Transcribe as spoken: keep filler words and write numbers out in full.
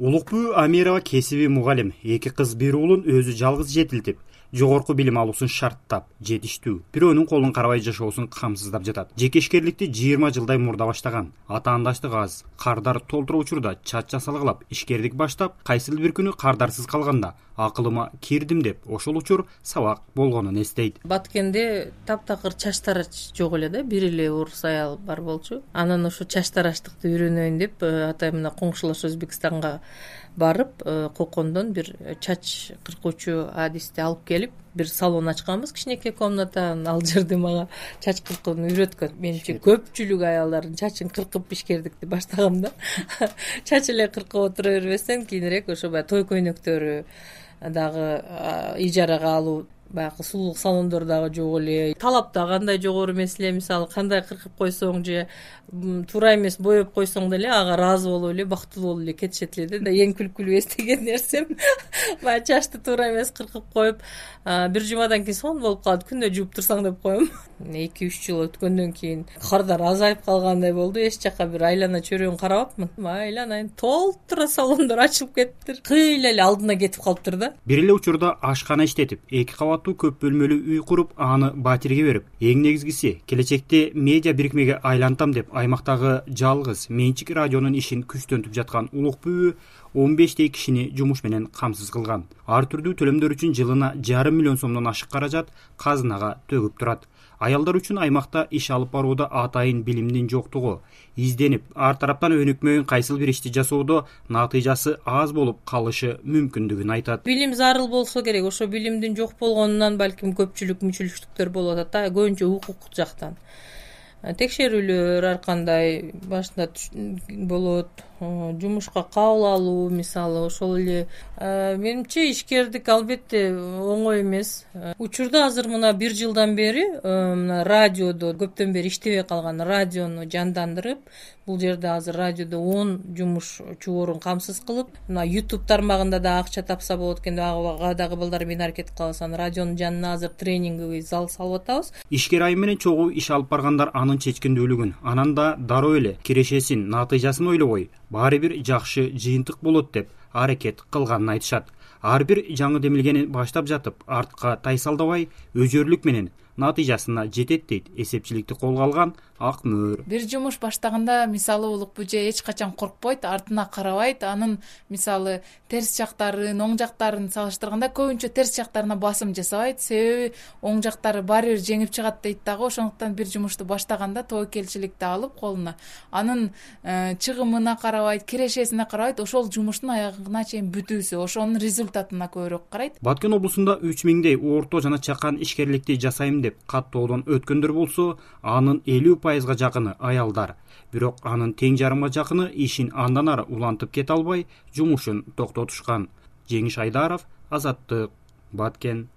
Улук бүү Амирова кесиби мугалим, эки кыз бир уулун өзү жалгыз жетилтип, жогорку билим алуусун шарттап, жетиштүү, бирөөнүн колун карабай жашоосун камсыздап жатат. Жекешкерликти жыйырма жылдай мурда баштаган, атаандаштык аз, кардар толтура учурда чач жасалгылап, ишкердик баштап, кайсыл бир күнү кардарсыз калганда акылыма кирдим деп ошол учур сабак болгонун эстейт. Баткенде таптакыр чач тарач жок эле да, бир эле орус аял бар болчу. Анан ошо чач тараштыкты үйрөнөйүн деп атайын мына коңшулаш Өзбекстанга барып, Кокондон бир чач кыркуучу адисти алып келип, бир салон ачканбыз, кичинекей комната. Ал жерде мага чач кыркууну үйрөткөн. Менимче көпчүлүк аялдардын чачын кыркып ишкердикти баштагам да. Чач эле кыркып отура бербестен кийинирээк ошо баягы той көйнөктөрү дагы ижарага алуу, баягы сулуулук салондору дагы жок эле. Талап да кандай жогору эмес эле, мисалы кандай кыркып койсоң же туура эмес боеп койсоң деле ага ыраазы болуп эле, бактылуу болуп эле кетишет эле да. Эң күлкүлүү эстеген нерсем баягы чачты туура эмес кыркып коюп, бир жумадан кийин сонун болуп калат, күндө жууп турсаң деп коем. эки үч жыл өткөндөн кийин кардар азайып калгандай болду. Эч жака бир айлана чөйрөгүн карабапмын. Айланайын толтура салондор ачылып кетиптир. Кыйла эле алдына кетип калыптыр да. Бир эле учурда ашкана иштетип, эки кабаттуу көп бөлмөлүү үй куруп, аны батирге берип, эң негизгиси келечекте медиа бирикмеге айлантам деп аймактагы жалгыз менчик радионун ишин күчтөнтүп жаткан улук бүү он бештей кишини жумуш менен камсыз кылган. Ар түрдүү төлөмдөр үчүн жылына жарым миллион сомдон ашык каражат казынага төгүп турат. Аялдар үчүн аймакта иш алып барууда атайын билимдин жоктугу, изденип, ар тараптан өнүкмөйүн кайсыл бир ишти жасоодо натыйжасы аз болуп калышы мүмкүндүгүн айтат. Билим зарыл болсо керек. Ошо билимдин жок болгонунан балким көпчүлүк мүчүлүштүктөр болуп атат да, көбүнчө укук жактан. Текшерүүлөр ар кандай башында болот, жумушка кабыл алуу мисалы, ошол эле. Менимче ишкердик албетте оңой эмес. Учурда азыр мына бир жылдан бери мына радиодо көптөн бери иштебей калган радиону жандандырып, бул жерде азыр радиодо он жумушчу орун камсыз кылып, мына YouTube тармагында да акча тапса болот экен деп ага дагы балдар менен аракет кылабыз. Анан радионун жанына азыр тренинговый зал салып атабыз. Ишкер айым менен чогуу иш алып баргандар анын чечкиндүүлүгүн, анан да дароо эле кирешесин, натыйжасын ойлобой, баары бир жакшы жыйынтык болот деп аракет кылганын айтышат. Ар бир жаңы демилгени баштап жатып, артка тайсалдабай, өзөрлүк менен натыйжасына жетет дейт эсепчиликти колго алган Ак Мөөр. Бир жумуш баштаганда мисалы улук бүжө эч качан коркпойт, артына карабайт. Анын мисалы терс жактарын, оң жактарын салыштырганда көбүнчө терс жактарына басым жасабайт. Себеби оң жактары баары бир жеңип чыгат дейт дагы. Ошондуктан бир жумушту баштаганда тобокелчиликти алып колуна, анын чыгымына карабайт, кирешесине карабайт, ошол жумуштун аягына чейин бүтүүсү, ошонун результатына көбүрөөк карайт. Баткен облусунда үч миңдей орто жана чакан ишкерликти жасайм деп каттоодон өткөндөр болсо, анын элүү пайызга жакыны аялдар. Бирок анын тең жарымга жакыны ишин андан ары улантып кете албай, жумушун токтотушкан. Жеңиш Айдаров, Азаттык, Баткен.